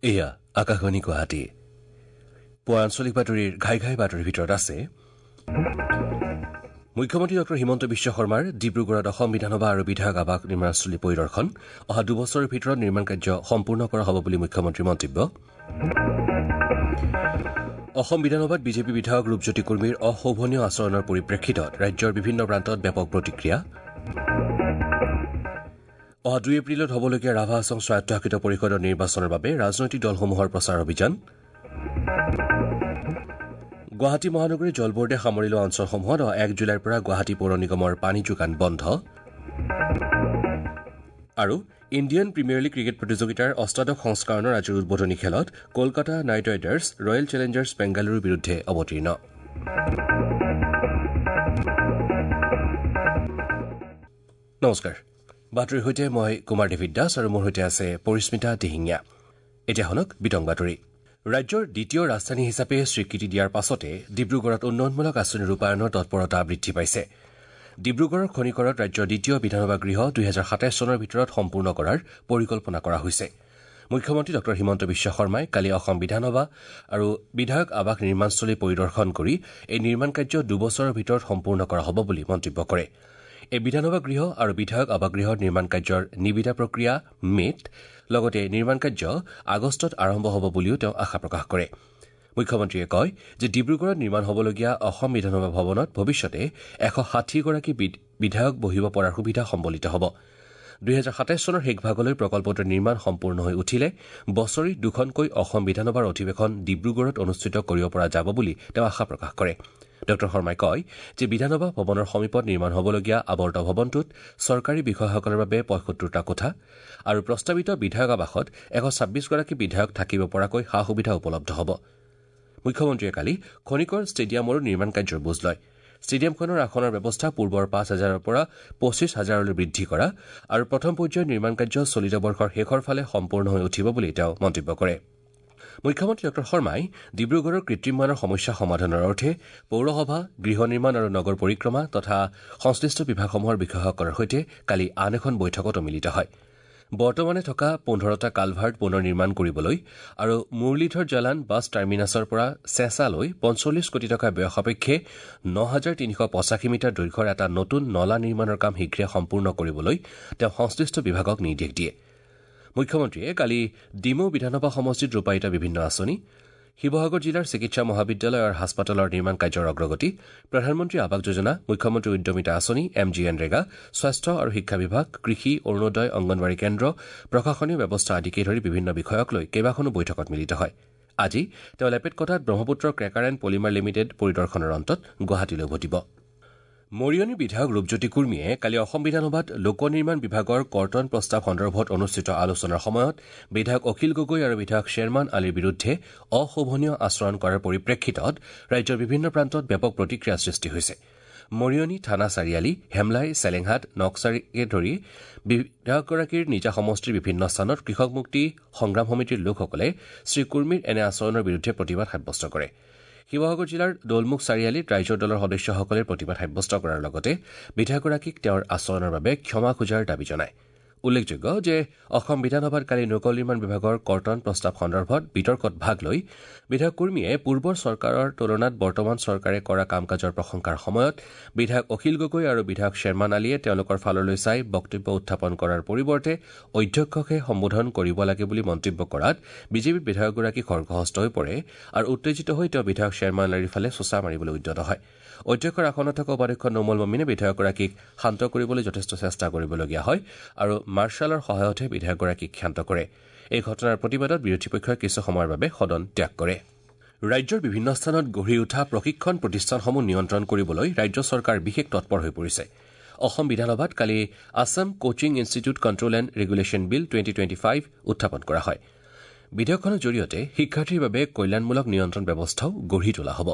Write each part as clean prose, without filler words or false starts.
এয়া আকাশবাণী গুৱাহাটী। পুৱা আঞ্চলিক বাতৰিৰ ঘাই ঘাই বাতৰিৰ ভিতৰত আছে মুখ্যমন্ত্ৰী ডঃ হিমন্ত বিশ্ব শৰ্মাৰ ডিব্ৰুগড়ত অসম বিধানসভা আৰু বিধায়ক আৱাস নিৰ্মাণস্থলী পৰিদৰ্শন। অহা 2 বছৰৰ ভিতৰত নিৰ্মাণ কাৰ্য সম্পূৰ্ণ কৰা হ'ব বুলি মুখ্যমন্ত্ৰীৰ মন্তব্য। অসম বিধানসভাত বিজেপি বিধায়ক ৰূপজ্যোতি কুৰ্মীৰ অশোভনীয় আচৰণৰ পৰিপ্ৰেক্ষিতত ৰাজ্যৰ বিভিন্ন প্ৰান্তত ব্যাপক প্ৰতিক্ৰিয়া। অহা 2 এপ্ৰিলত হ'বলগীয়া ৰাভা হাছং স্বায়ত্তশাসিত পৰিষদৰ নিৰ্বাচনৰ বাবে ৰাজনৈতিক দলসমূহৰ প্ৰচাৰ অভিযান। গুৱাহাটী মহানগৰীৰ জল বোৰ্ডে সামৰি লোৱা অঞ্চলসমূহত অহা 1 জুলাইৰ পৰা গুৱাহাটী পৌৰ নিগমৰ পানী যোগান বন্ধ। আৰু ইণ্ডিয়ান প্ৰিমিয়াৰ লীগ ক্ৰিকেট প্ৰতিযোগিতাৰ অষ্টাদশ সংস্কৰণৰ আজিৰ উদ্বোধনী খেলত Kolkata night riders royal Challengers বেংগালুৰুৰ বিৰুদ্ধে অৱতীৰ্ণ। নমস্কাৰ, বাতৰিৰ সৈতে মই কুমাৰ ডেভিড দাস আৰু মোৰ সৈতে আছে পৰিস্মিতা দিহিঙীয়া। এতিয়া শুনক বিতং বাতৰি। ৰাজ্যৰ দ্বিতীয় ৰাজধানী হিচাপে স্বীকৃতি দিয়াৰ পাছতে ডিব্ৰুগড়ত উন্নয়নমূলক আঁচনি ৰূপায়ণৰ তৎপৰতা বৃদ্ধি পাইছে। ডিব্ৰুগড়ৰ খনিকৰত ৰাজ্যৰ দ্বিতীয় বিধানসভা গৃহ 2027 চনৰ ভিতৰত সম্পূৰ্ণ কৰাৰ পৰিকল্পনা কৰা হৈছে। মুখ্যমন্ত্ৰী ডঃ হিমন্ত বিশ্ব শৰ্মাই কালি অসম বিধানসভা আৰু বিধায়ক আৱাস নিৰ্মাণস্থলী পৰিদৰ্শন কৰি এই নিৰ্মাণ কাৰ্য 2 বছৰৰ ভিতৰত সম্পূৰ্ণ কৰা হ'ব বুলি মন্তব্য কৰে। এই বিধানসভা গৃহ আৰু বিধায়ক আৱাসগৃহৰ নিৰ্মাণ কাৰ্যৰ নিবিদা প্ৰক্ৰিয়া মে'ত, লগতে নিৰ্মাণ কাৰ্য আগষ্টত আৰম্ভ হ'ব বুলিও তেওঁ আশা প্ৰকাশ কৰে। মুখ্যমন্ত্ৰীয়ে কয় যে ডিব্ৰুগড়ত নিৰ্মাণ হ'বলগীয়া অসম বিধানসভা ভৱনত ভৱিষ্যতে 160গৰাকী বিধায়ক বহিব পৰাৰ সুবিধা সম্বলিত হ'ব। 2027 চনৰ শেষভাগলৈ প্ৰকল্পটোৰ নিৰ্মাণ সম্পূৰ্ণ হৈ উঠিলে বছৰি দুখনকৈ অসম বিধানসভাৰ অধিৱেশন ডিব্ৰুগড়ত অনুষ্ঠিত কৰিব পৰা যাব বুলি তেওঁ আশা প্ৰকাশ কৰে। ডঃ শৰ্মাই কয় যে বিধানসভা ভৱনৰ সমীপত নিৰ্মাণ হ'বলগীয়া আৱৰ্ত ভৱনটোত চৰকাৰী বিষয়াসকলৰ বাবে 75টা কোঠা আৰু প্ৰস্তাৱিত বিধায়ক আৱাসত 126গৰাকী বিধায়ক থাকিব পৰাকৈ সা সুবিধা উপলব্ধ হ'ব। মুখ্যমন্ত্ৰীয়ে কালি খনিকৰ ষ্টেডিয়ামৰো নিৰ্মাণ কাৰ্যৰ বুজ লয়। ষ্টেডিয়ামখনৰ আসনৰ ব্যৱস্থা পূৰ্বৰ 5 হাজাৰৰ পৰা 25 হাজাৰলৈ বৃদ্ধি কৰা আৰু প্ৰথম পৰ্যায়ৰ নিৰ্মাণ কাৰ্য চলিত বৰ্ষৰ শেষৰ ফালে সম্পূৰ্ণ হৈ উঠিব বুলি তেওঁ মন্তব্য কৰে। মুখ্যমন্ত্ৰী ডঃ শৰ্মাই ডিব্ৰুগড়ৰ কৃত্ৰিম বানৰ সমস্যা সমাধানৰ অৰ্থে পৌৰসভা, গৃহ নিৰ্মাণ আৰু নগৰ পৰিক্ৰমা তথা সংশ্লিষ্ট বিভাগসমূহৰ বিষয়াসকলৰ সৈতে কালি আন এখন বৈঠকতো মিলিত হয়। বৰ্তমানে থকা 15টা কালভাৰ্ট পুনৰ নিৰ্মাণ কৰিবলৈ আৰু মুৰলীধৰ জালান বাছ টাৰ্মিনাছৰ পৰা চেঁচালৈ 45 কোটি টকা ব্যয় সাপেক্ষে 9385 মিটাৰ দৈৰ্ঘ্যৰ এটা নতুন নলা নিৰ্মাণৰ কাম শীঘ্ৰে সম্পূৰ্ণ কৰিবলৈ তেওঁ সংশ্লিষ্ট বিভাগক নিৰ্দেশ দিয়ে। মুখ্যমন্ত্ৰীয়ে কালি ডিমৌ বিধানসভা সমষ্টিত ৰূপায়িত বিভিন্ন আঁচনি, শিৱসাগৰ জিলাৰ চিকিৎসা মহাবিদ্যালয় আৰু হাস্পতালৰ নিৰ্মাণ কাৰ্যৰ অগ্ৰগতি, প্ৰধানমন্ত্ৰী আৱাস যোজনা, মুখ্যমন্ত্ৰী উদ্যমিতা আঁচনি, এম জি এনৰেগা, স্বাস্থ্য আৰু শিক্ষা বিভাগ, কৃষি, অৰুণোদয়, অংগনৱাড়ী কেন্দ্ৰ, প্ৰশাসনীয় ব্যৱস্থা আদিকে ধৰি বিভিন্ন বিষয়ক লৈ কেইবাখনো বৈঠকত মিলিত হয়। আজি তেওঁ লেপেটকটাত Brahmaputra cracker and polymer limited পৰিদৰ্শনৰ অন্তত গুৱাহাটীলৈ উভতিব। মৰিয়নিৰ বিধায়ক ৰূপজ্যোতি কুৰ্মীয়ে কালি অসম বিধানসভাত লোক নিৰ্মাণ বিভাগৰ কৰ্তন প্ৰস্তাৱ সন্দৰ্ভত অনুষ্ঠিত আলোচনাৰ সময়ত বিধায়ক অখিল গগৈ আৰু বিধায়ক শ্বেৰমান আলীৰ বিৰুদ্ধে অশোভনীয় আচৰণ কৰাৰ পৰিপ্ৰেক্ষিতত ৰাজ্যৰ বিভিন্ন প্ৰান্তত ব্যাপক প্ৰতিক্ৰিয়াৰ সৃষ্টি হৈছে। মৰিয়নি, থানা চাৰিআলি, হেমলাই, চেলেংহাট, নকছাৰিকে ধৰি বিধায়কগৰাকীৰ নিজা সমষ্টিৰ বিভিন্ন স্থানত কৃষক মুক্তি সংগ্ৰাম সমিতিৰ লোকসকলে শ্ৰীকুৰ্মীৰ এনে আচৰণৰ বিৰুদ্ধে প্ৰতিবাদ সাব্যস্ত কৰে। শিৱসাগৰ জিলাৰ দৌলমুখ চাৰিআলিত ৰাইজৰ দলৰ সদস্যসকলে প্ৰতিবাদ সাব্যস্ত কৰাৰ লগতে বিধায়কগৰাকীক তেওঁৰ আচৰণৰ বাবে ক্ষমা খোজাৰ দাবী জনায়। উল্লেখযোগ্য যে অসম বিধানসভাত কালি লোক নিৰ্মাণ বিভাগৰ কৰ্তন প্ৰস্তাৱ সন্দৰ্ভত বিতৰ্কত ভাগ লৈ বিধায়ক কুৰ্মীয়ে পূৰ্বৰ চৰকাৰৰ তুলনাত বৰ্তমান চৰকাৰে কৰা কাম কাজৰ প্ৰশংসাৰ সময়ত বিধায়ক অখিল গগৈ আৰু বিধায়ক শ্বেৰমান আলীয়ে তেওঁলোকৰ ফাললৈ চাই বক্তব্য উত্থাপন কৰাৰ পৰিৱৰ্তে অধ্যক্ষকহে সম্বোধন কৰিব লাগে বুলি মন্তব্য কৰাত বিজেপি বিধায়কগৰাকী খৰ্গহস্ত হৈ পৰে আৰু উত্তেজিত হৈ তেওঁ বিধায়ক শ্বেৰমান আলীৰ ফালে চোচা মাৰিবলৈ উদ্যত হয়। অধ্যক্ষৰ আসনত থকা উপাধ্যক্ষ নোমল মমিনে বিধায়কগৰাকীক শান্ত কৰিবলৈ যথেষ্ট চেষ্টা কৰিবলগীয়া হয় আৰু মাৰ্শ্বালৰ সহায়তহে বিধায়কগৰাকীক ক্ষান্ত কৰে। এই ঘটনাৰ প্ৰতিবাদত বিৰোধী পক্ষই কিছু সময়ৰ বাবে সদন ত্যাগ কৰে। ৰাজ্যৰ বিভিন্ন স্থানত গঢ়ি উঠা প্ৰশিক্ষণ প্ৰতিষ্ঠানসমূহ নিয়ন্ত্ৰণ কৰিবলৈ ৰাজ্য চৰকাৰ বিশেষ তৎপৰ হৈ পৰিছে। অসম বিধানসভাত কালি Assam Coaching Institute Control and Regulation Bill, 2025 উত্থাপন কৰা হয়। বিধেয়কখনৰ জৰিয়তে শিক্ষাৰ্থীৰ বাবে কল্যাণমূলক নিয়ন্ত্ৰণ ব্যৱস্থাও গঢ়ি তোলা হ'ব।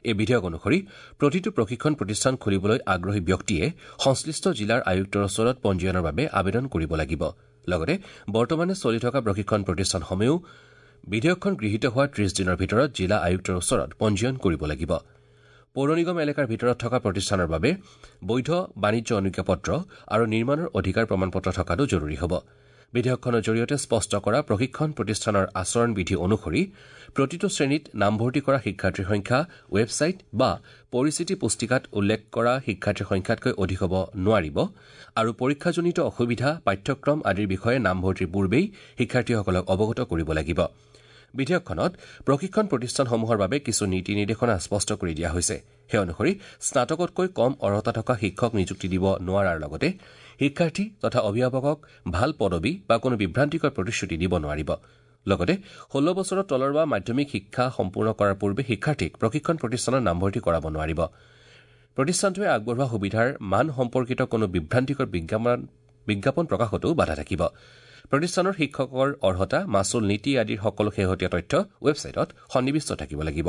এই বিধেয়ক অনুসৰি প্ৰতিটো প্ৰশিক্ষণ প্ৰতিষ্ঠান খুলিবলৈ আগ্ৰহী ব্যক্তিয়ে সংশ্লিষ্ট জিলাৰ আয়ুক্তৰ ওচৰত পঞ্জীয়নৰ বাবে আবেদন কৰিব লাগিব। লগতে বৰ্তমানে চলি থকা প্ৰশিক্ষণ প্ৰতিষ্ঠানসমূহেও বিধেয়কখন গৃহীত হোৱাৰ 30 দিনৰ ভিতৰত জিলা আয়ুক্তৰ ওচৰত পঞ্জীয়ন কৰিব লাগিব। পৌৰ নিগম এলেকাৰ ভিতৰত থকা প্ৰতিষ্ঠানৰ বাবে বৈধ বাণিজ্য অনুজ্ঞাপত্ৰ আৰু নিৰ্মাণৰ অধিকাৰ প্ৰমাণপত্ৰ থকাটো জৰুৰী হ'ব। বিধেয়কখনৰ জৰিয়তে স্পষ্ট কৰা প্ৰশিক্ষণ প্ৰতিষ্ঠানৰ আচৰণ বিধি অনুসৰি প্ৰতিটো শ্ৰেণীত নামভৰ্তি কৰা শিক্ষাৰ্থীৰ সংখ্যা ৱেবছাইট বা পৰিচিতি পুস্তিকাত উল্লেখ কৰা শিক্ষাৰ্থীৰ সংখ্যাতকৈ অধিক হ'ব নোৱাৰিব আৰু পৰীক্ষাজনিত অসুবিধা, পাঠ্যক্ৰম আদিৰ বিষয়ে নামভৰ্তিৰ পূৰ্বেই শিক্ষাৰ্থীসকলক অৱগত কৰিব লাগিব। বিধেয়কখনত প্ৰশিক্ষণ প্ৰতিষ্ঠানসমূহৰ বাবে কিছু নীতি নিৰ্দেশনা স্পষ্ট কৰি দিয়া হৈছে। সেই অনুসৰি স্নাতকতকৈ কম অৰ্হতা থকা শিক্ষক নিযুক্তি দিব নোৱাৰাৰ লগতে শিক্ষাৰ্থী তথা অভিভাৱকক ভাল পদবী বা কোনো বিভ্ৰান্তিকৰ প্ৰতিশ্ৰুতি দিব নোৱাৰিব। লগতে ১৬ বছৰৰ তলৰ বা মাধ্যমিক শিক্ষা সম্পূৰ্ণ কৰাৰ পূৰ্বে শিক্ষাৰ্থীক প্ৰশিক্ষণ প্ৰতিষ্ঠানত নামভৰ্তি কৰাব নোৱাৰিব। প্ৰতিষ্ঠানটোৱে আগবঢ়োৱা সুবিধাৰ মান সম্পৰ্কিত কোনো বিভ্ৰান্তিকৰ বিজ্ঞাপন প্ৰকাশতো বাধা থাকিব। প্ৰতিষ্ঠানৰ শিক্ষকৰ অৰ্হতা, মাচুল নীতি আদিৰ সকলো শেহতীয়া তথ্য ৱেবছাইটত সন্নিৱিষ্ট থাকিব লাগিব।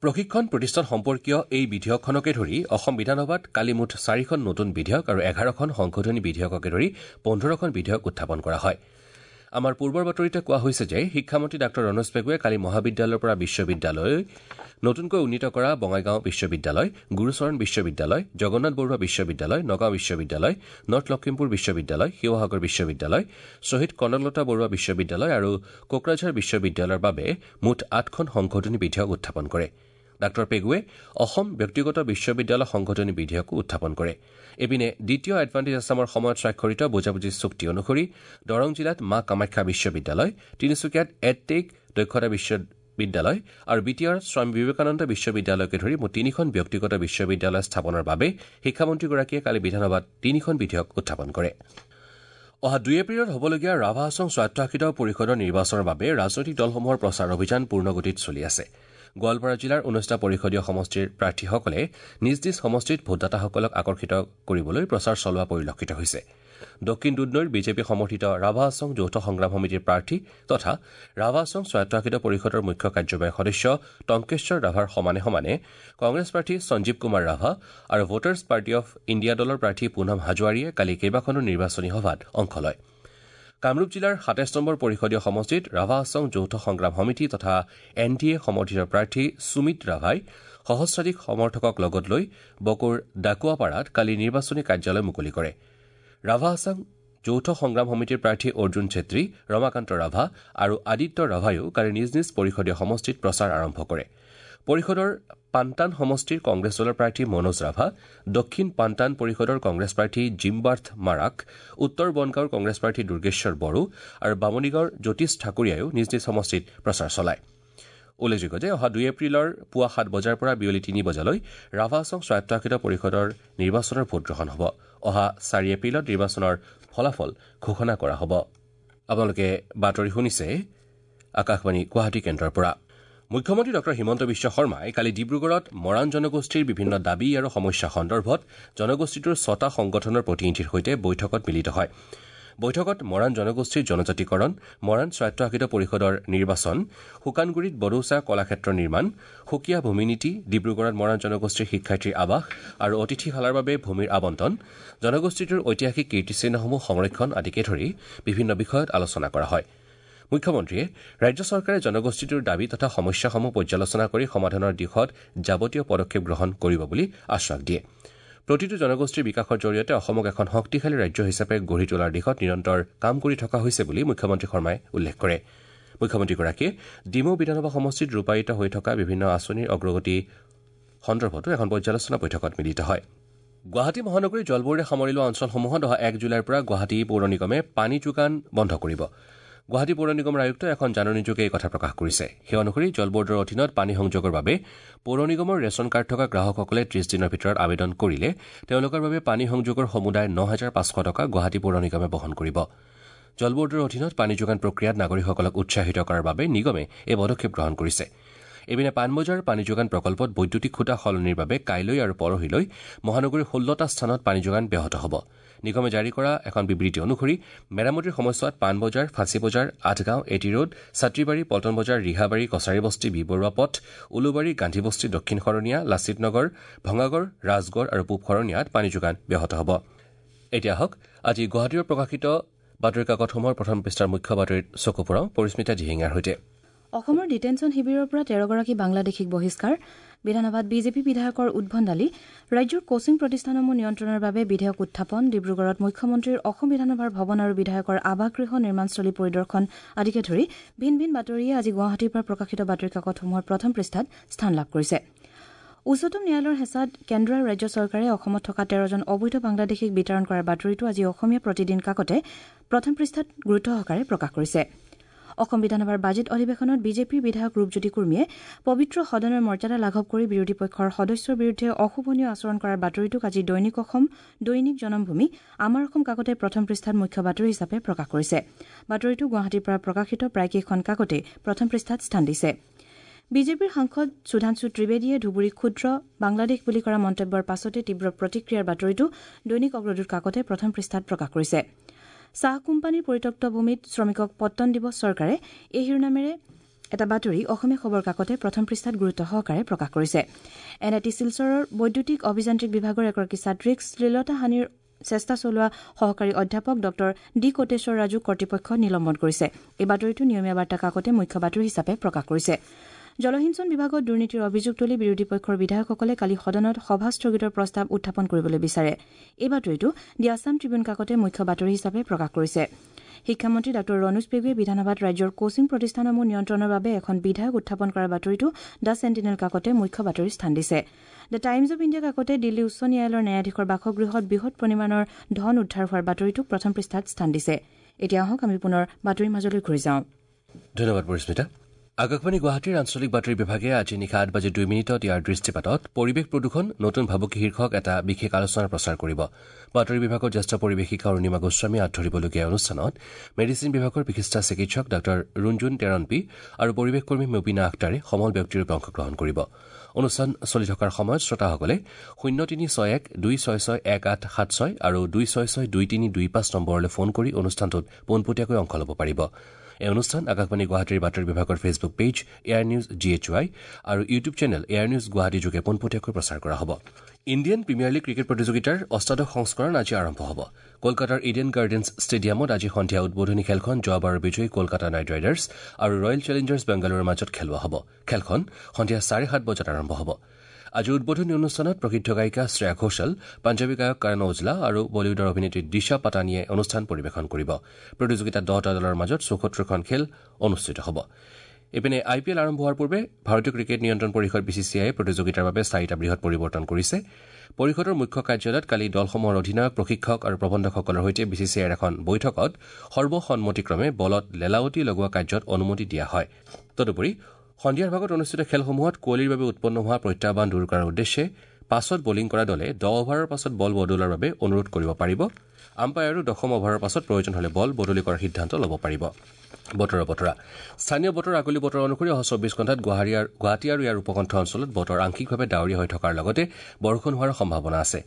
প্ৰশিক্ষণ প্ৰতিষ্ঠান সম্পৰ্কীয় এই বিধেয়কখনকে ধৰি অসম বিধানসভাত কালি মুঠ ৪খন নতুন বিধেয়ক আৰু ১১খন সংশোধনী বিধেয়ককে ধৰি ১৫খন বিধেয়ক উত্থাপন কৰা হয়। আমাৰ পূৰ্বৰ বাতৰিতে কোৱা হৈছে যে শিক্ষামন্ত্ৰী ডাঃ ৰণোজ পেগুৱে কালি মহাবিদ্যালয়ৰ পৰা বিশ্ববিদ্যালয়লৈ নতুনকৈ উন্নীত কৰা বঙাইগাঁও বিশ্ববিদ্যালয়, গুৰুচৰণ বিশ্ববিদ্যালয়, জগন্নাথ বৰুৱা বিশ্ববিদ্যালয়, নগাঁও বিশ্ববিদ্যালয়, নৰ্থ লখিমপুৰ বিশ্ববিদ্যালয়, শিৱসাগৰ বিশ্ববিদ্যালয়, শ্বহীদ কনকলতা বৰুৱা বিশ্ববিদ্যালয় আৰু কোকৰাঝাৰ বিশ্ববিদ্যালয়ৰ বাবে মুঠ ৮খন সংশোধনী বিধেয়ক উত্থাপন কৰে। ডাঃ পেগুৱে অসম ব্যক্তিগত বিশ্ববিদ্যালয় সংশোধনী বিধেয়কো উত্থাপন কৰে। ইপিনে দ্বিতীয় এডভান্টেজ আছামৰ সময়ত স্বাক্ষৰিত বুজাবুজি চুক্তি অনুসৰি দৰং জিলাত মা কামাখ্যা বিশ্ববিদ্যালয়, তিনিচুকীয়াত এডটেক দক্ষতা বিশ্ববিদ্যালয় আৰু বি টি আৰত স্বামী বিবেকানন্দ বিশ্ববিদ্যালয়কে ধৰি মুঠ ৩খন ব্যক্তিগত বিশ্ববিদ্যালয় স্থাপনৰ বাবে শিক্ষামন্ত্ৰীগৰাকীয়ে কালি বিধানসভাত ৩খন বিধেয়ক উত্থাপন কৰে। অহা ২ এপ্ৰিলত হ'বলগীয়া ৰাভা হাছং স্বায়ত্তশাসিত পৰিষদৰ নিৰ্বাচনৰ বাবে ৰাজনৈতিক দলসমূহৰ প্ৰচাৰ অভিযান পূৰ্ণগতিত চলি আছে। গোৱালপাৰা জিলাৰ ১৯টা পৰিষদীয় সমষ্টিৰ প্ৰাৰ্থীসকলে নিজ নিজ সমষ্টিত ভোটদাতাসকলক আকৰ্ষিত কৰিবলৈ প্ৰচাৰ চলোৱা পৰিলক্ষিত হৈছে। দক্ষিণ দুধনৈৰ বিজেপি সমৰ্থিত ৰাভা হাছং যৌথ সংগ্ৰাম সমিতিৰ প্ৰাৰ্থী তথা ৰাভা হাছং স্বায়ত্তশাসিত পৰিষদৰ মুখ্য কাৰ্যবাহী সদস্য টংকেশ্বৰ ৰাভাৰ সমানে সমানে কংগ্ৰেছ প্ৰাৰ্থী সঞ্জীৱ কুমাৰ ৰাভা আৰু ভোটাৰ্ছ পাৰ্টি অফ ইণ্ডিয়া দলৰ প্ৰাৰ্থী পুনম হাজোৱাৰীয়ে কালি কেইবাখনো নিৰ্বাচনী সভাত অংশ লয়। কামৰূপ জিলাৰ ২৭ নম্বৰ পৰিষদীয় সমষ্টিত ৰাভা হাছং যৌথ সংগ্ৰাম সমিতি তথা এন ডি এ সমৰ্থিত প্ৰাৰ্থী সুমিত ৰাভাই সহস্ৰাধিক সমৰ্থকক লগত লৈ বকোৰ ডাকুৱাপাৰাত কালি নিৰ্বাচনী কাৰ্যালয় মুকলি কৰে। ৰাভা হাছং যৌথ সংগ্ৰাম সমিতিৰ প্ৰাৰ্থী অৰ্জুন চেত্ৰী, ৰমাকান্ত ৰাভা আৰু আদিত্য ৰাভায়ো কালি নিজ নিজ পৰিষদীয় সমষ্টিত প্ৰচাৰ আৰম্ভ কৰে। পৰিষদৰ পান্তান সমষ্টিৰ কংগ্ৰেছ দলৰ প্ৰাৰ্থী মনোজ ৰাভা, দক্ষিণ পান্তান পৰিষদৰ কংগ্ৰেছ প্ৰাৰ্থী জিমবাৰ্থ মাৰাক, উত্তৰ বনগাঁৱৰ কংগ্ৰেছ প্ৰাৰ্থী দুৰ্গেশ্বৰ বড়ো আৰু বামুণীগাঁৱৰ জ্যোতিষ ঠাকুৰীয়ায়ো নিজ নিজ সমষ্টিত প্ৰচাৰ চলায়। উল্লেখযোগ্য যে অহা ২ এপ্ৰিলৰ পুৱা ৭ বজাৰ পৰা বিয়লি ৩ বজালৈ ৰাভা হাছং স্বায়ত্তশাসিত পৰিষদৰ নিৰ্বাচনৰ ভোটগ্ৰহণ হ'ব। অহা ৪ এপ্ৰিলত নিৰ্বাচনৰ ফলাফল ঘোষণা কৰা হ'ব। আপোনালোকে বাতৰি শুনিছে আকাশবাণী গুৱাহাটী কেন্দ্ৰৰ পৰা। মুখ্যমন্ত্ৰী ডঃ হিমন্ত বিশ্ব শৰ্মাই কালি ডিব্ৰুগড়ত মৰাণ জনগোষ্ঠীৰ বিভিন্ন দাবী আৰু সমস্যা সন্দৰ্ভত জনগোষ্ঠীটোৰ ৬টা সংগঠনৰ প্ৰতিনিধিৰ সৈতে বৈঠকত মিলিত হয়। বৈঠকত মৰাণ জনগোষ্ঠীৰ জনজাতিকৰণ, মৰাণ স্বায়ত্তশাসিত পৰিষদৰ নিৰ্বাচন, শুকানগুৰিত বড়োচা কলাক্ষেত্ৰ নিৰ্মাণ, সুকীয়া ভূমি নীতি, ডিব্ৰুগড়ত মৰাণ জনগোষ্ঠীৰ শিক্ষাৰ্থীৰ আৱাস আৰু অতিথিশালাৰ বাবে ভূমিৰ আবণ্টন, জনগোষ্ঠীটোৰ ঐতিহাসিক কীৰ্তিচিহ্নসমূহ সংৰক্ষণ আদিকে ধৰি বিভিন্ন বিষয়ত আলোচনা কৰা হয়। মুখ্যমন্ত্ৰীয়ে ৰাজ্য চৰকাৰে জনগোষ্ঠীটোৰ দাবী তথা সমস্যাসমূহ পৰ্যালোচনা কৰি সমাধানৰ দিশত যাৱতীয় পদক্ষেপ গ্ৰহণ কৰিব বুলি আশ্বাস দিয়ে। প্ৰতিটো জনগোষ্ঠীৰ বিকাশৰ জৰিয়তে অসমক এখন শক্তিশালী ৰাজ্য হিচাপে গঢ়ি তোলাৰ দিশত নিৰন্তৰ কাম কৰি থকা হৈছে বুলি মুখ্যমন্ত্ৰী শৰ্মাই উল্লেখ কৰে। মুখ্যমন্ত্ৰীগৰাকীয়ে ডিমৌ বিধানসভা সমষ্টিত ৰূপায়িত হৈ থকা বিভিন্ন আঁচনিৰ অগ্ৰগতি সন্দৰ্ভতো এখন পৰ্যালোচনা বৈঠকত মিলিত হয়। গুৱাহাটী মহানগৰীৰ জলবোৰ্ডে সামৰি লোৱা অঞ্চলসমূহত অহা ১ জুলাইৰ পৰা গুৱাহাটী পৌৰ নিগমে পানী যোগান বন্ধ কৰিব। গুৱাহাটী পৌৰ নিগমৰ আয়ুক্তই এখন জাননীযোগে এই কথা প্ৰকাশ কৰিছে। সেই অনুসৰি জল বোৰ্ডৰ অধীনত পানী সংযোগৰ বাবে পৌৰ নিগমৰ ৰেচন কাৰ্ড থকা গ্ৰাহকসকলে ৩০ দিনৰ ভিতৰত আবেদন কৰিলে তেওঁলোকৰ বাবে পানী সংযোগৰ সমুদায় ৯৫০০ টকা গুৱাহাটী পৌৰ নিগমে বহন কৰিব। জল বোৰ্ডৰ অধীনত পানী যোগান প্ৰক্ৰিয়াত নাগৰিকসকলক উৎসাহিত কৰাৰ বাবে নিগমে এই পদক্ষেপ গ্ৰহণ কৰিছে। ইপিনে পাণবজাৰ পানী যোগান প্ৰকল্পত বৈদ্যুতিক খুঁটা সলনিৰ বাবে কাইলৈ আৰু পৰহিলৈ মহানগৰীৰ ১৬টা স্থানত পানী যোগান ব্যাহত হ'ব। নিগমে জাৰি কৰা এখন বিবৃতি অনুসৰি মেৰামতিৰ সময়ছোৱাত Panbazar, Fancy Bazar, Athgaon, A T road, Chatribari, Paltan Bazar, Rihabari, Kachari Basti, B Barua পথ, উলুবাৰী, গান্ধীবস্তি, দক্ষিণ শৰণীয়া, লাচিত নগৰ, ভঙাগড়, ৰাজগড় আৰু পূব শৰণীয়াত পানী যোগান ব্যাহত হ'ব। এতিয়া আহক আজি গুৱাহাটীৰ প্ৰকাশিত বাতৰি কাকতসমূহৰ প্ৰথম পৃষ্ঠাৰ মুখ্য বাতৰিত চকু ফুৰাওঁ পৰিস্মিতা দিহিঙীয়াৰ সৈতে। অসমৰ ডিটেনশ্যন শিবিৰৰ পৰা 13গৰাকী বাংলাদেশীক বহিষ্কাৰ, বিধানসভাত বিজেপি বিধায়কৰ উদ্ভণ্ডালি, ৰাজ্যৰ কোচিং প্ৰতিষ্ঠানসমূহ নিয়ন্ত্ৰণৰ বাবে বিধেয়ক উত্থাপন, ডিব্ৰুগড়ত মুখ্যমন্ত্ৰীৰ অসম বিধানসভাৰ ভৱন আৰু বিধায়কৰ আৱাসগৃহ নিৰ্মাণস্থলী পৰিদৰ্শন আদিকে ধৰি ভিন ভিন বাতৰিয়ে আজি গুৱাহাটীৰ পৰা প্ৰকাশিত বাতৰি কাকতসমূহৰ প্ৰথম পৃষ্ঠাত স্থান লাভ কৰিছে। উচ্চতম ন্যায়ালয়ৰ হেঁচাত কেন্দ্ৰ আৰু ৰাজ্য চৰকাৰে অসমত থকা 13জন অবৈধ বাংলাদেশীক বিতৰণ কৰাৰ বাতৰিটো আজি অসমীয়া প্ৰতিদিন কাকতে প্ৰথম পৃষ্ঠাত গুৰুত্বসহকাৰে প্ৰকাশ কৰিছে। অসম বিধানসভাৰ বাজেট অধিৱেশনত বিজেপিৰ বিধায়ক ৰূপজ্যোতি কুৰ্মীয়ে পবিত্ৰ সদনৰ মৰ্যাদা লাঘৱ কৰি বিৰোধী পক্ষৰ সদস্যৰ বিৰুদ্ধে অশোভনীয় আচৰণ কৰাৰ বাতৰিটোক আজি দৈনিক অসম, দৈনিক জনমভূমি, আমাৰ অসম কাকতে প্ৰথম পৃষ্ঠাত মুখ্য বাতৰি হিচাপে প্ৰকাশ কৰিছে। বাতৰিটো গুৱাহাটীৰ পৰা প্ৰকাশিত প্ৰায়কেইখন কাকতে প্ৰথম পৃষ্ঠাত স্থান দিছে। বিজেপিৰ সাংসদ সুধাংশু ত্ৰিবেদীয়ে ধুবুৰী ক্ষুদ্ৰ বাংলাদেশ বুলি কৰা মন্তব্যৰ পাছতে তীব্ৰ প্ৰতিক্ৰিয়াৰ বাতৰিটো দৈনিক অগ্ৰদূত কাকতে প্ৰথম পৃষ্ঠাত প্ৰকাশ কৰিছে। চাহ কোম্পানীৰ পৰিত্যক্ত ভূমিত শ্ৰমিকক পট্টন দিব চৰকাৰে, এই শিৰোনামেৰে এটা বাতৰি অসমীয়া খবৰ কাকতে প্ৰথম পৃষ্ঠাত গুৰুত্ব সহকাৰে প্ৰকাশ কৰিছে। এন I T শিলচৰৰ বৈদ্যুতিক অভিযান্ত্ৰিক বিভাগৰ এগৰাকী ছাত্ৰীক শ্লীলতাহানিৰ চেষ্টা চলোৱা সহকাৰী অধ্যাপক ডঃ ডি কোটেশ্বৰ ৰাজুক কৰ্তৃপক্ষই নিলম্বন কৰিছে। এই বাতৰিটো নিয়মীয়া বাৰ্তা কাকতে মুখ্য বাতৰি হিচাপে প্ৰকাশ কৰিছে। জলসিঞ্চন বিভাগত দুৰ্নীতিৰ অভিযোগ তুলি বিৰোধী পক্ষৰ বিধায়কসকলে কালি সদনত সভা স্থগিতৰ প্ৰস্তাৱ উত্থাপন কৰিবলৈ বিচাৰে। এই বাতৰিটো দি আছাম ট্ৰিবিউন কাকতে মুখ্য বাতৰি হিচাপে প্ৰকাশ কৰিছে। শিক্ষামন্ত্ৰী ডাঃ ৰণোজ পেগুৱে বিধানসভাত ৰাজ্যৰ কোচিং প্ৰতিষ্ঠানসমূহ নিয়ন্ত্ৰণৰ বাবে এখন বিধেয়ক উত্থাপন কৰাৰ বাতৰিটো the sentinel কাকতে মুখ্য বাতৰিৰ স্থান দিছে। The times of India কাকতে Delhi উচ্চ ন্যায়ালয়ৰ ন্যায়াধীশৰ বাসগৃহত বৃহৎ পৰিমাণৰ ধন উদ্ধাৰ হোৱাৰ বাতৰিটোক প্ৰথম পৃষ্ঠাত স্থান দিছে। এতিয়া আহক আমি পুনৰ বাতৰিৰ মাজলৈ ঘূৰি যাওঁ। ধন্যবাদ পৰিস্মিতা। আকাশবাণী গুৱাহাটীৰ আঞ্চলিক বাতৰি বিভাগে আজি নিশা 8:02 ইয়াৰ দৃষ্টিপাতত পৰিৱেশ প্ৰদূষণ নতুন ভাবুকি শীৰ্ষক এটা বিশেষ আলোচনা প্ৰচাৰ কৰিব। বাতৰি বিভাগৰ জ্যেষ্ঠ পৰিৱেশিকা অৰুণিমা গোস্বামীয়ে আঁত ধৰিবলগীয়া অনুষ্ঠানত মেডিচিন বিভাগৰ বিশিষ্ট চিকিৎসক ডাঃ ৰুণজুন টেৰণপি আৰু পৰিৱেশকৰ্মী মুবিনা আখতাৰে সমল ব্যক্তিৰূপে অংশগ্ৰহণ কৰিব। অনুষ্ঠান চলি থকাৰ সময়ত শ্ৰোতাসকলে 0361 266 1876 আৰু 266 2325 নম্বৰলৈ ফোন কৰি অনুষ্ঠানটোত পোনপটীয়াকৈ অংশ ল'ব পাৰিব। এই অনুষ্ঠান আকাশবাণী গুৱাহাটীৰ বাতৰি বিভাগৰ Facebook page AIR news G H Y আৰু YouTube channel AIR news Guwahati যোগে পোনপটীয়াকৈ প্ৰচাৰ কৰা হ'ব। ইণ্ডিয়ান প্ৰিমিয়াৰ লীগ ক্ৰিকেট প্ৰতিযোগিতাৰ অষ্টাদশ সংস্কৰণ আজি আৰম্ভ হ'ব। কলকাতাৰ ইডেন গাৰ্ডেন্স ষ্টেডিয়ামত আজি সন্ধিয়া উদ্বোধনী খেলখন যোৱাবাৰৰ বিজয়ী কলকাতা নাইট ৰাইডাৰ্ছ আৰু ৰয়েল চেলেঞ্জাৰ্ছ বেংগালুৰুৰ মাজত খেলোৱা হ'ব। খেলখন সন্ধিয়া 7:30 বজাত আৰম্ভ হ'ব। আজি উদ্বোধনী অনুষ্ঠানত প্ৰসিদ্ধ গায়িকা শ্ৰেয়া ঘোষাল, পাঞ্জাৱী গায়ক কৰণ ঔজলা আৰু বলীউডৰ অভিনেত্ৰী দিশা পাটানীয়ে অনুষ্ঠান পৰিৱেশন কৰিব। প্ৰতিযোগিতাত 10টা দলৰ মাজত 74খন খেল অনুষ্ঠিত হ'ব। ইপিনে আই পি এল আৰম্ভ হোৱাৰ পূৰ্বে ভাৰতীয় ক্ৰিকেট নিয়ন্ত্ৰণ পৰিষদ বি চি চি আইয়ে প্ৰতিযোগিতাৰ বাবে 4টা বৃহৎ পৰিৱৰ্তন কৰিছে। পৰিষদৰ মুখ্য কাৰ্যালয়ত কালি দলসমূহৰ অধিনায়ক, প্ৰশিক্ষক আৰু প্ৰবন্ধকসকলৰ সৈতে বি চি চি আইৰ এখন বৈঠকত সৰ্বসন্মতিক্ৰমে বলত লেলাৱতি লগোৱা কাৰ্যত অনুমতি দিয়া হয়। তদুপৰি সন্ধিয়াৰ ভাগত অনুষ্ঠিত খেলসমূহত কুঁৱলীৰ বাবে উৎপন্ন হোৱা প্ৰত্যাহ্বান দূৰ কৰাৰ উদ্দেশ্যে পাছত বলিং কৰা দলে 10 অভাৰৰ পাছত বল বদলোৱাৰ বাবে অনুৰোধ কৰিব পাৰিব। আম্পায়াৰো দশম অভাৰৰ পাছত প্ৰয়োজন হ'লে বল বদলি কৰাৰ সিদ্ধান্ত ল'ব পাৰিব। বতৰৰ বতৰা। স্থানীয় বতৰ আগলি বতৰ অনুসৰি অহা 24 ঘণ্টাত গুৱাহাটী আৰু ইয়াৰ উপকণ্ঠ অঞ্চলত বতৰ আংশিকভাৱে ডাৱৰীয়া হৈ থকাৰ লগতে বৰষুণ হোৱাৰ সম্ভাৱনা আছে।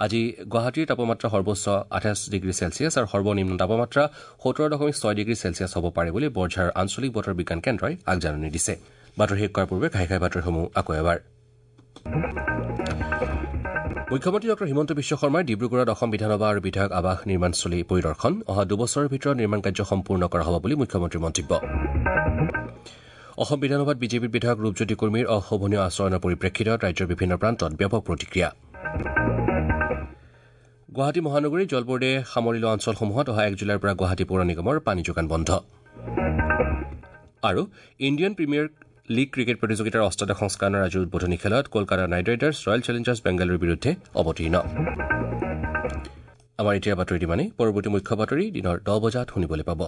আজি গুৱাহাটীৰ তাপমাত্ৰা সৰ্বোচ্চ 28 ডিগ্ৰী চেলছিয়াছ আৰু সৰ্বনিম্ন তাপমাত্ৰা 17.6 ডিগ্ৰী চেলছিয়াছ হ'ব পাৰে বুলি বৰঝাৰৰ আঞ্চলিক বতৰ বিজ্ঞান কেন্দ্ৰই আগজাননী দিছে। বাতৰি শেষ কৰাৰ পূৰ্বে ঘাই ঘাই বাতৰিসমূহ আকৌ এবাৰ। মুখ্যমন্ত্ৰী ডঃ হিমন্ত বিশ্ব শৰ্মাই ডিব্ৰুগড়ত অসম বিধানসভা আৰু বিধায়ক আৱাস নিৰ্মাণস্থলী পৰিদৰ্শন। অহা 2 বছৰৰ ভিতৰত নিৰ্মাণ কাৰ্য সম্পূৰ্ণ কৰা হ'ব বুলি মুখ্যমন্ত্ৰীৰ মন্তব্য। অসম বিধানসভাত বিজেপিৰ বিধায়ক ৰূপজ্যোতি কুৰ্মীৰ অশোভনীয় আচৰণৰ পৰিপ্ৰেক্ষিতত ৰাজ্যৰ বিভিন্ন প্ৰান্তত ব্যাপক প্ৰতিক্ৰিয়া। গুৱাহাটী মহানগৰীৰ জল বোৰ্ডে সামৰি লোৱা অঞ্চলসমূহত অহা 1 জুলাইৰ পৰা গুৱাহাটী পৌৰ নিগমৰ পানী যোগান বন্ধ। আৰু ইণ্ডিয়ান প্ৰিমিয়াৰ লীগ ক্ৰিকেট প্ৰতিযোগিতাৰ অষ্টাদশ সংস্কৰণৰ আজিৰ উদ্বোধনী খেলত Kolkata night riders royal Challengers বেংগালুৰুৰ বিৰুদ্ধে অৱতীৰ্ণ। আমাৰ এতিয়াৰ বাতৰি ইমানেই। পৰৱৰ্তী মুখ্য বাতৰি দিনৰ 10 বজাত শুনিবলৈ পাব।